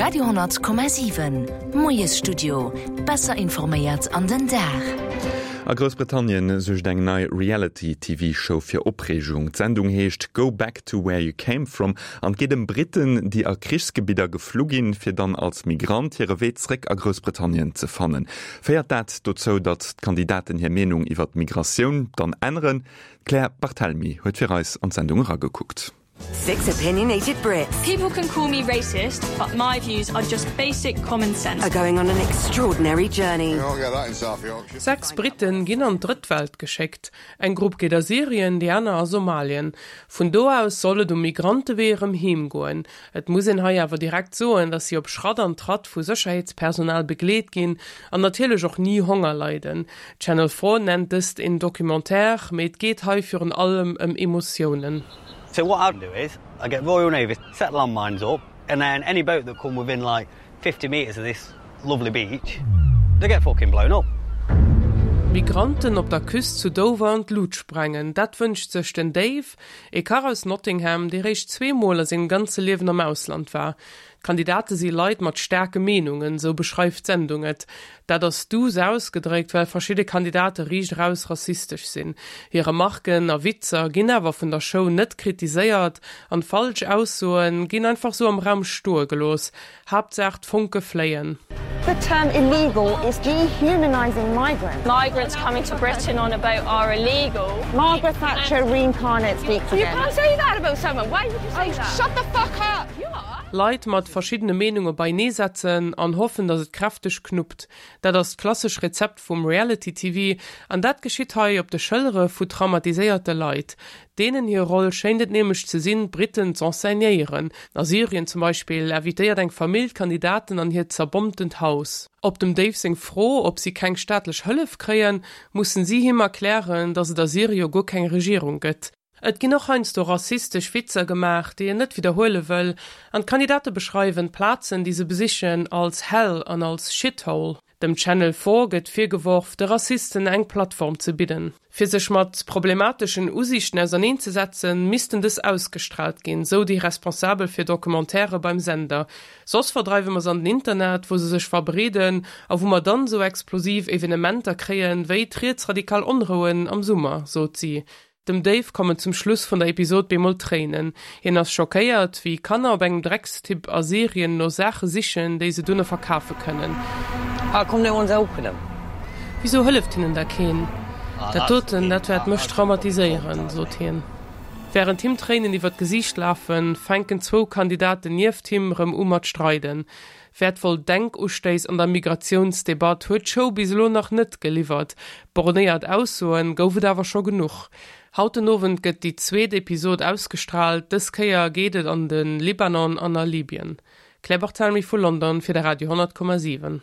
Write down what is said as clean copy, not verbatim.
Radio 10,7 Moiesstudio. Besser informéiert an den Dag. A Groussbritannien suergt eng nei Reality-TV-Show fir Opreegung. D'Sendung heescht Go Back to Where You Came From an et geet ëm Britten, déi a Krichsgebidder geflu ginn, fir dann als Migrant hire Wee zréck a Groussbritannien ze fannen. Féiert dat dozou, datt d'Kandidaten hir Meenung iwwer d'Migratioun dann änneren? D'Claire Barthelmy huet fir eis an d'Sendung eragekuckt. Six opinionated Brits. People can call me racist, but my views are just basic common sense. Are going on an extraordinary journey. Sechs Britten ginn an d'Drëtt Welt geschéckt. Eng Grupp geet a Syrien, déi aner a Somalien. Vun do aus soll et um Migrantewee erëm heem goen. Et muss een hei awer direkt soen, datt si op Schratt an Tratt vu Sécherheetspersonal begleet ginn an natierlech och ni Honger leiden. Channel 4 nennt dëst een Documentaire, mee et geet hei virun allem ëm Emotiounen. So what I'd do is I get Royal Navy set landmines up and then any boat that come within like 50 metres of this lovely beach they get fucking blown up. Migranten op der Küst zu Dover an d'Lut sprengen, dat wënscht sech den Dave, ee Kach aus Nottingham, dee réischt zweemol a sengem ganze Liewen am Ausland war. D'Kandidate si Leit mat staarke Meenungen, sou beschreift d'Sendung et. Dat ass duuss ausgedréckt, well verschidde Kandidate riicht eraus rassistesch sinn. Hir Remarken a Witzer ginn awer vun der Show net kritiséiert an falsch Aussoe ginn einfach sou am Raum stoe gelooss. Haaptsaach d'Fonke fléien. The term illegal is dehumanising migrants. Migrants coming to Britain on a boat are illegal. Margaret Thatcher reincarnate speaks again. You can't say that about someone, why would you say that? Shut the fuck up! Leit mat verschiddene Meenunge beienee setzen an hoffen, datt et kräfteg knuppt. Dat ass d'klassesch Rezept vum Reality-TV an dat geschitt hei op de Schëllere vu traumatiséierte Leit. Deenen hir Roll schéint et nämlech ze sinn, d'Britten z'enseignéieren. A Syrien zum Beispill invitéiert eng Famill d'Kandidaten an hiert zerbommtent Haus. Op dem Dave seng Fro, ob si keng staatlech Hëllef kréien, mussen si him erklären, datt et a Syrie jo guer keng Regierung gëtt. Et ginn och heiansdo rassistesch Witzer gemaach, déi een net widderhuele wëll, an d'Kandidate beschreiwen d'Plazen, déi se besichen, als Hell an als Shithole. Dem Channel 4 gëtt virgeworf, de Rassisten eng Plattform ze bidden. Fir sech mat problemateschen Usiichten auserneen ze setzen, missten dës ausgestraalt ginn, sou déi Responsabel fir Documentairë beim Sender. Soss verdreiwe mer se an den Internet, wou se sech verbreeden a wou mer dann esou explosiv Evenementer kréien, wéi d'rietsradikal Onrouen am Summer, sot si. Dem Dave kommen zum Schluss vun der Episod bemol d'Tréinen. Hien ass schockéiert, wéi Kanner op engem Dreckstipp a Syrien no Saache sichen, déi se dunne verkafe kënnen. How come no one's helping them? Wisou hëlleft hinnen da keen? Dat doten, dat wäert mech traumatiséieren, sot hien. Wärend him d'Tréinen iwwer d'Gesiicht lafen, fänken zwou Kandidaten nieft him rëm u mat streiden. Wäertvoll Denkustéiss an der Migratiounsdebatt huet d'Show bis elo nach net geliwwert. Bornéiert Aussoen gouf et awer scho genuch. Haut den Owend gëtt déi zweet Episod ausgestraalt, dës Kéier geet et an de Libanon an a Libyen. Claire Barthelmy vu London fir de Radio 10,7.